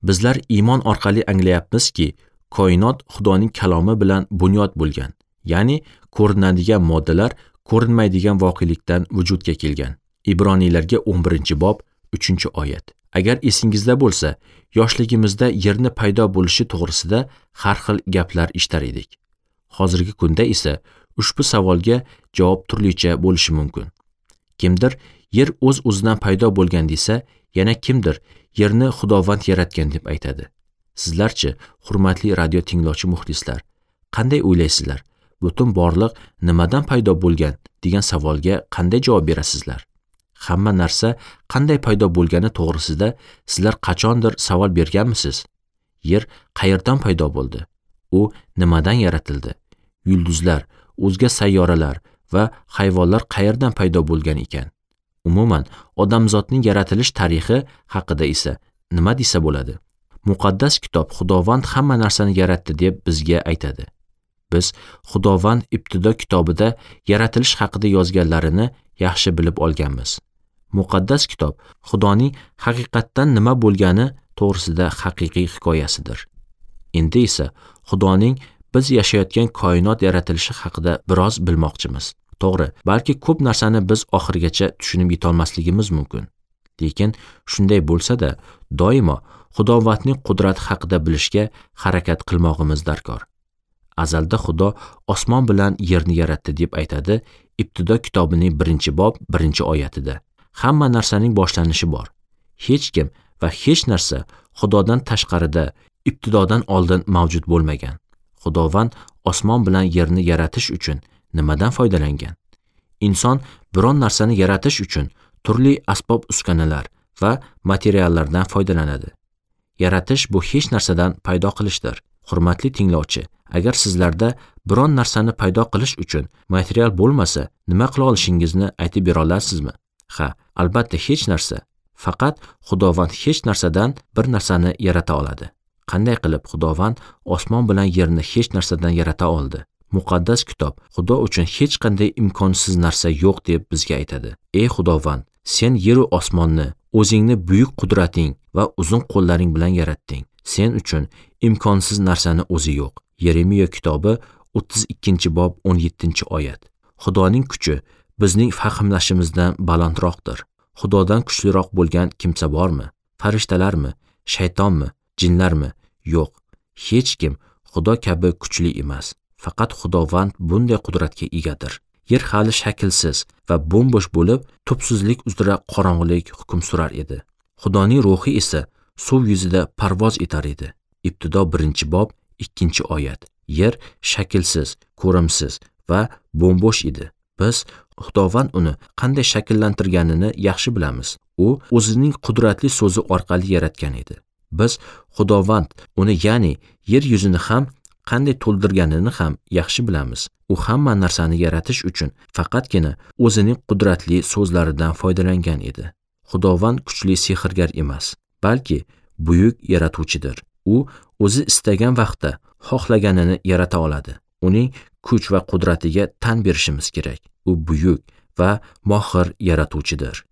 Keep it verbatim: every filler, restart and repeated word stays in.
Bizlar iymon orqali anglayapmizki, koinot Xudoning kalomi bilan bunyod bo'lgan, ya'ni ko'rinadigan moddalar ko'rinmaydigan voqelikdan vujudga kelgan. Ibroniylarga o'n birinchi bob uchinchi oyat. Agar esingizda bo'lsa, yoshligimizda yerni paydo bo'lishi to'g'risida har xil gaplar eshitar edik. Hozirgi kunda esa ushbu savolga javob turlicha bo'lishi mumkin. Kimdir yer o'z-o'zidan paydo bo'lgan desa, yana kimdir yerni Xudovand yaratgan deb aytadi. Sizlarchi, hurmatli radio tinglovchi muxlislar, qanday o'ylaysizlar? Butun borliq nimadan paydo bo'lgan degan savolga qanday javob berasizlar? Hamma narsa qanday paydo bo'lgani to'g'risida sizlar qachondir savol berganmisiz? Yer qayerdan paydo bo'ldi? U nimadan yaratildi? Yulduzlar, o'zga sayyoralar va hayvonlar qayerdan paydo bo'lgan ekan? Umuman, odamzodning yaratilish tarixi haqida esa nima desa bo'ladi? Muqaddas kitob Xudovand hamma narsani yaratdi deb bizga aytadi. Biz Xudovand Ibtido kitobida yaratilish haqida yozganlarini yaxshi bilib olganmiz. Muqaddas kitob Xudoning haqiqatdan nima bo'lgani to'g'risida haqiqiy hikoyasidir. Endi esa Xudoning biz yashayotgan koinot yaratilishi haqida biroz bilmoqchimiz. To'g'ri, balki ko'p narsani biz oxirigacha tushunib yetolmasligimiz mumkin. Lekin shunday bo'lsa-da, doimo Xudovandning qudrati haqida bilishga harakat qilmog'imiz darkor. Azalda Xudo osmon bilan yerni yaratdi deb aytadi Ibtido kitobining birinchi bob birinchi oyatida. Hamma narsaning boshlanishi bor. Hech kim va hech narsa Xudodan tashqarida ibtidodan oldin mavjud bo'lmagan. Xudovand osmon bilan yerni yaratish uchun nimadan foydalangan? Inson biron narsani yaratish uchun turli asbob-uskunalar va materiallardan foydalanadi. Yaratish bu hech narsadan paydo qilishdir. Hurmatli tinglovchi, agar sizlarda biron narsani paydo qilish uchun material bo'lmasa, nima qila olishingizni aytib bera olasizmi? Ha, albatta hech narsa. Faqat Xudovand hech narsadan bir narsani yarata oladi. Qanday qilib Xudovand osmon bilan yerni hech narsadan yarata oldi? Muqaddas kitob Xudo uchun hech qanday imkonsiz narsa yo'q deb bizga aytadi. Ey Xudovand, sen yer va osmonni o'zingni buyuk qudrating va uzun qo'llaring bilan yaratding. Sen uchun imkonsiz narsani o'zi yo'q. Yeremiya kitobi o'ttiz ikkinchi bob o'n yettinchi oyat. Xudoning kuchi bizning fahmlashimizdan balandroqdir. Xudodan kuchliroq bo'lgan kimsa bormi? Farishtalarmi? Shaytonmi? Jinlarmi? Yo'q. Hech kim Xudo kabi kuchli emas. Faqat Xudovand bunday qudratga egadir. Yer hali shaklsiz va bo'm-bo'sh bo'lib, tubsizlik uzra qorong'ulik hukm surar edi. Xudoning ruhi esa suv yuzida parvoz etar edi. Ibtido birinchi bob ikkinchi oyat. Yer shaklsiz, ko'rimsiz va bo'm-bo'sh edi. Biz Xudovand uni qanday shakllantirganini yaxshi bilamiz. U o'zining qudratli so'zi orqali yaratgan edi. Biz Xudovand uni, ya'ni yer yuzini ham qanday to'ldirganini ham yaxshi bilamiz. U hamma narsani yaratish uchun faqatgina o'zining qudratli so'zlaridan foydalangan edi. Xudovand kuchli sehrgar emas, balki buyuk yaratuvchidir. U o'zi istagan vaqtda xohlaganini yarata oladi. Uning kuch va qudratiga tan berishimiz kerak. U buyuk va mohir yaratuvchidir.